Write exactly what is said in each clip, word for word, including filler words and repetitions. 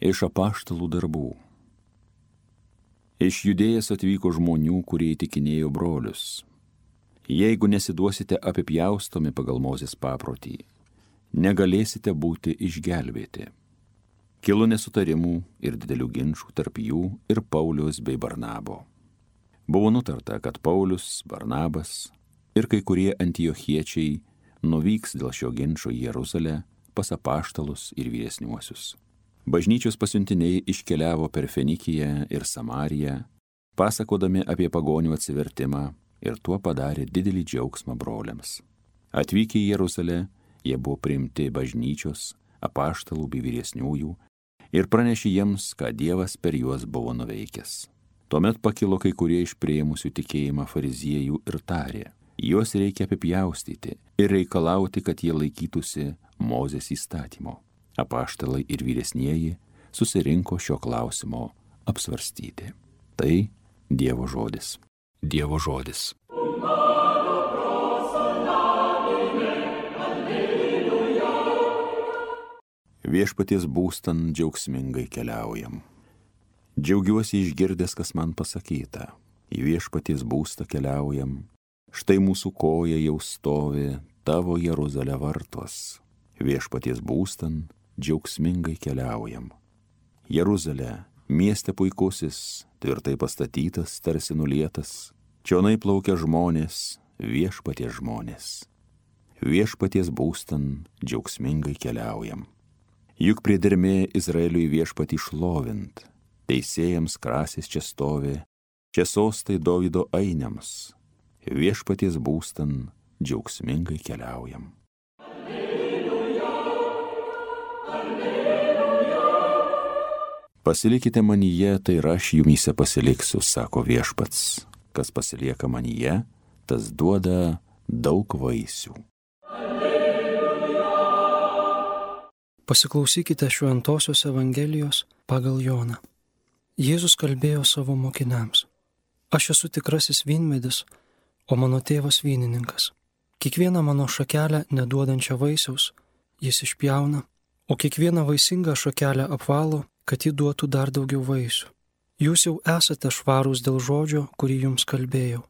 Iš apaštalų darbų. Iš Judėjos atvyko žmonių, kurie įtikinėjo brolius. Jeigu nesiduosite apipjaustomi pagal Mozės paprotį, negalėsite būti išgelbėti. Kilo nesutarimų ir didelių ginčų tarp jų ir Pauliaus bei Barnabo. Buvo nutarta, kad Paulius, Barnabas ir kai kurie antiochiečiai nuvyks dėl šio ginčo į Jeruzalę pas apaštalus ir vyresniuosius. Bažnyčios pasiuntiniai iškeliavo per Fenikiją ir Samariją, pasakodami apie pagonių atsivertimą, ir tuo padarė didelį džiaugsmą broliams. Atvykę į Jeruzalę, jie buvo priimti bažnyčios, apaštalų bei vyresniųjų ir pranešė jiems, ką Dievas per juos buvo nuveikęs. Tuomet pakilo kai kurie iš priėmusių tikėjimą fariziejų ir tarė, juos reikia apipjaustyti ir reikalauti, kad jie laikytųsi Mozės įstatymo. Apaštalai ir vyresnieji susirinko šio klausimo apsvarstyti. Tai Dievo žodis. Dievo žodis. Viešpaties būstan džiaugsmingai keliaujam. Džiaugiuosi išgirdęs, kas man pasakyta. Į viešpaties būstą keliaujam. Štai mūsų koja jau stovi tavo Jeruzalė vartuos. Viešpaties būstan džiaugsmingai keliaujam. Jeruzalė, mieste puikusis, tvirtai pastatytas, tarsi nulietas. Čionai plaukia žmonės, viešpaties žmonės. Viešpaties būstan džiaugsmingai keliaujam. Juk priedermė Izraeliui viešpatį šlovint. Teisėjams krasis čia stovi, čia sostai Dovydo ainiams. Viešpaties būstan džiaugsmingai keliaujam. Alleluja, alleluja. Pasilikite manyje, tai ir aš jumyse pasiliksiu, sako viešpats. Kas pasilieka manyje, tas duoda daug vaisių. Alleluja. Pasiklausykite Šventosios Evangelijos pagal Joną. Jėzus kalbėjo savo mokiniams. Aš esu tikrasis vynmedis, o mano tėvas vynininkas. Kiekvieną mano šakelę neduodančią vaisiaus jis išpjauna, o kiekvieną vaisingą šakelę apvalo, kad ji duotų dar daugiau vaisių. Jūs jau esate švarūs dėl žodžio, kurį jums kalbėjau.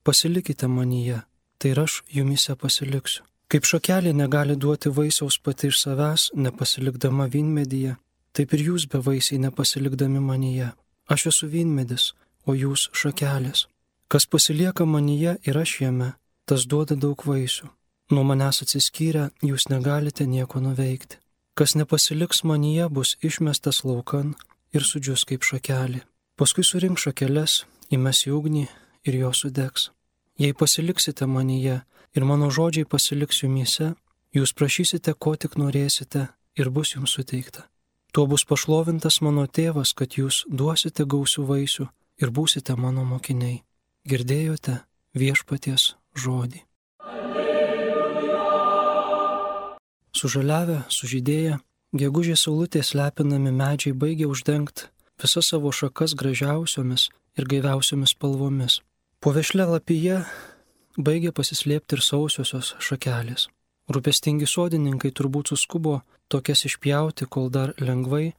Pasilikite manyje, tai ir aš jumyse pasiliksiu. Kaip šakelė negali duoti vaisiaus pati iš savęs, nepasilikdama vynmedyje, taip ir jūs be vaisiai nepasilikdami manyje. Aš esu vynmedis, o jūs šakelės. Kas pasilieka manyje ir aš jame, tas duoda daug vaisių. Nuo manęs atsiskyrę, jūs negalite nieko nuveikti. Kas nepasiliks manyje, bus išmestas laukan ir sudžius kaip šakelė. Paskui surink šakeles, įmes į ugnį ir jos sudegs. Jei pasiliksite manyje ir mano žodžiai pasiliks jumyse, jūs prašysite, ko tik norėsite ir bus jums suteikta. Tuo bus pašlovintas mano tėvas, kad jūs duosite gausių vaisių ir būsite mano mokiniai. Girdėjote viešpaties žodį. Alleluja. Sužaliavę, sužydėję, gegužės saulutės lepinami medžiai baigia uždengti visas savo šakas gražiausiomis ir gaiviausiomis spalvomis. Po vešlia lapija baigia pasislėpti ir sausiosios šakelės. Rūpestingi sodininkai turbūt suskubo tokias išpjauti, kol dar lengvai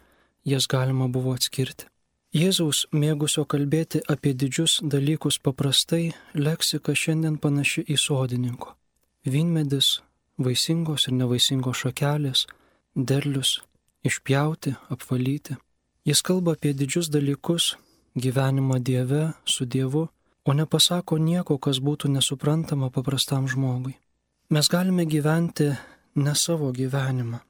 jas galima buvo atskirti. Jėzaus mėgusio kalbėti apie didžius dalykus paprastai, leksika šiandien panaši į sodininko. Vynmedis, vaisingos ir nevaisingos šakelės, derlius, išpjauti, apvalyti. Jis kalba apie didžius dalykus, gyvenimą Dieve, su Dievu, o nepasako nieko, kas būtų nesuprantama paprastam žmogui. Mes galime gyventi ne savo gyvenimą.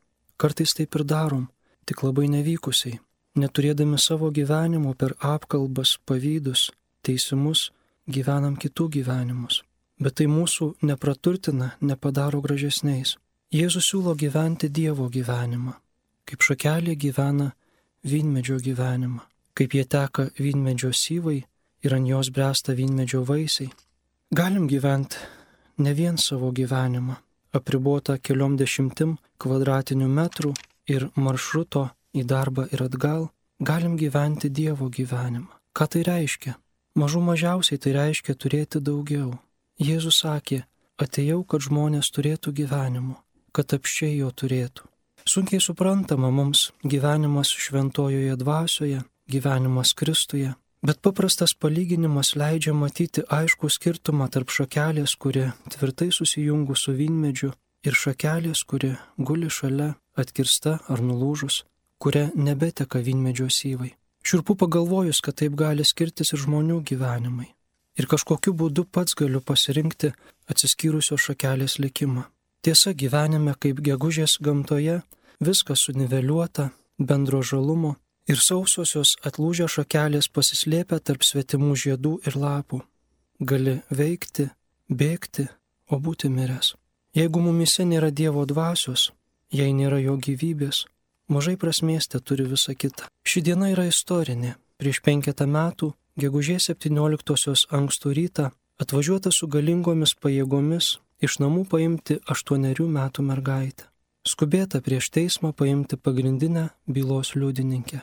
Kartais taip ir darom, tik labai nevykusiai. Neturėdami savo gyvenimo per apkalbas, pavydus, teisimus, gyvenam kitų gyvenimus. Bet tai mūsų nepraturtina, nepadaro gražesniais. Jėzus siūlo gyventi Dievo gyvenimą. Kaip šakelė gyvena vynmedžio gyvenimą. Kaip jie teka vynmedžio syvai ir ant jos bręsta vynmedžio vaisiai. Galim gyventi ne vien savo gyvenimą, apribota keliom dešimtim kvadratinių metrų ir maršruto į darbą ir atgal. Galim gyventi Dievo gyvenimą. Ką tai reiškia? Mažų mažiausiai tai reiškia turėti daugiau. Jėzus sakė, atėjau, kad žmonės turėtų gyvenimo, kad apsčiai jo turėtų. Sunkiai suprantama mums gyvenimas šventojoje dvasioje, gyvenimas Kristuje, bet paprastas palyginimas leidžia matyti aiškų skirtumą tarp šakelės, kuri tvirtai susijungus su vynmedžiu, ir šakelės, kuri guli šalia, atkirsta ar nulūžus, kuria nebeteka vynmedžio syvai. Šiurpu pagalvojus, kad taip gali skirtis ir žmonių gyvenimai. Ir kažkokiu būdu pats galiu pasirinkti atsiskyrusios šakelės likimą. Tiesa, gyvenime kaip gegužės gamtoje viskas suniveliuota, bendro žalumo ir sausosios atlūžę šakelės pasislėpia tarp svetimų žiedų ir lapų. Gali veikti, bėgti, o būti miręs. Jeigu mumise nėra Dievo dvasios, jei nėra jo gyvybės, mažai prasmės te turi visa kita. Ši diena yra istorinė. Prieš penketą metų, gegužės septynioliktosios ankstų rytą, atvažiuota su galingomis pajėgomis iš namų paimti aštuonerių metų mergaitę. Skubėta prieš teismą paimti pagrindinę bylos liudininkę.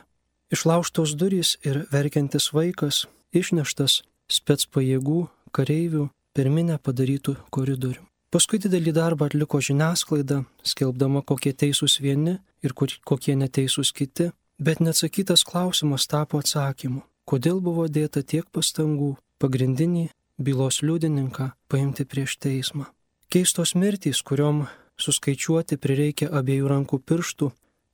Išlaužtos durys ir verkiantis vaikas išneštas spec pajėgų, kareivių per minę padarytų koridorių. Paskui didelį darbą atliko žiniasklaida, skelbdama, kokie teisūs vieni ir kokie neteisūs kiti, bet neatsakytas klausimas tapo atsakymu, kodėl buvo dėta tiek pastangų pagrindinį bylos liudininką paimti prieš teismą. Keistos mirtys, kuriom suskaičiuoti prireikia abiejų rankų pirštų,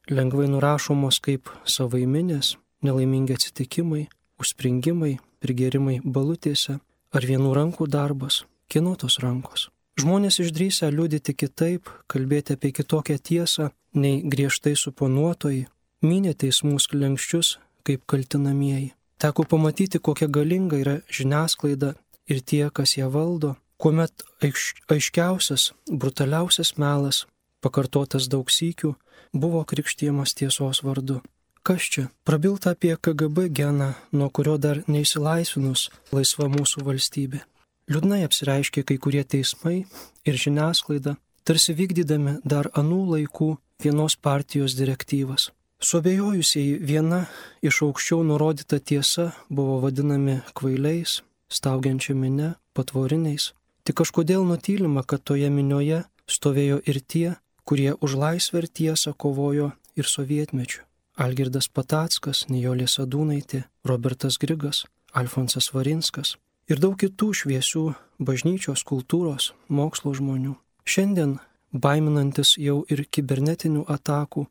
lengvai nurašomos kaip savaiminės, nelaimingi atsitikimai, užspringimai, prigėrimai balutėse ar vienų rankų darbas, kieno tos rankos. Žmonės išdrįsę liudyti kitaip, kalbėti apie kitokią tiesą, nei griežtai suponuotojai, mynė teismų sklenkščius kaip kaltinamieji. Teko pamatyti, kokia galinga yra žiniasklaida ir tie, kas ją valdo, kuomet aiš, aiškiausias, brutaliausias melas, pakartotas daug sykių, buvo krikštijamas tiesos vardu. Kas čia? Prabilta apie K G B geną, nuo kurio dar neįsilaisvinus laisva mūsų valstybė. Liūdnai apsireiškė kai kurie teismai ir žiniasklaida, tarsi vykdydami dar anų laikų vienos partijos direktyvas. Suabejojusiai viena iš aukščiau nurodyta tiesa buvo vadinami kvailiais, staugiančia mine, patvoriniais. Tik kažkodėl nutylima, kad toje minioje stovėjo ir tie, kurie už laisvę ir tiesą kovojo ir sovietmečiu. Algirdas Patackas, Nijolė Sadūnaitė, Robertas Grigas, Alfonsas Varinskas ir daug kitų šviesių bažnyčios, kultūros, mokslo žmonių. Šiandien, baiminantis jau ir kibernetinių atakų,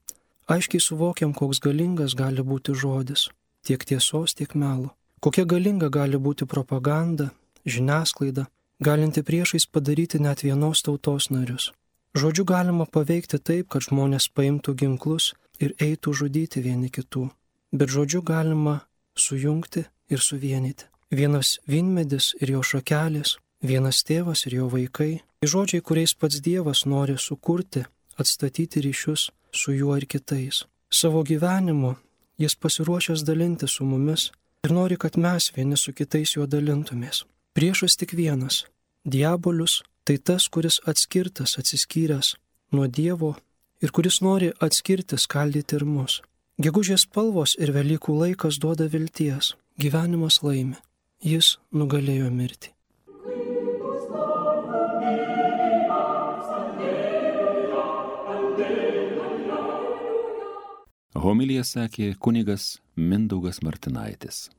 aiškiai suvokiam, koks galingas gali būti žodis, tiek tiesos, tiek melo. Kokia galinga gali būti propaganda, žiniasklaida, galinti priešais padaryti net vienos tautos narius. Žodžiu galima paveikti taip, kad žmonės paimtų ginklus ir eitų žudyti vieni kitų. Bet žodžiu galima sujungti ir suvienyti. Vienas vynmedis ir jo šakelės, vienas tėvas ir jo vaikai. Žodžiai, kuriais pats Dievas nori sukurti, atstatyti ryšius su juo ir kitais. Savo gyvenimu jis pasiruošęs dalinti su mumis ir nori, kad mes vieni su kitais juo dalintumės. Priešas tik vienas - diabolius, tai tas, kuris atskirtas, atsiskyręs nuo Dievo ir kuris nori atskirti, skaldyti ir mus. Gegužės spalvos ir Velykų laikas duoda vilties. Gyvenimas laimi. Jis nugalėjo mirtį. Homiliją sakė kunigas Mindaugas Martinaitis.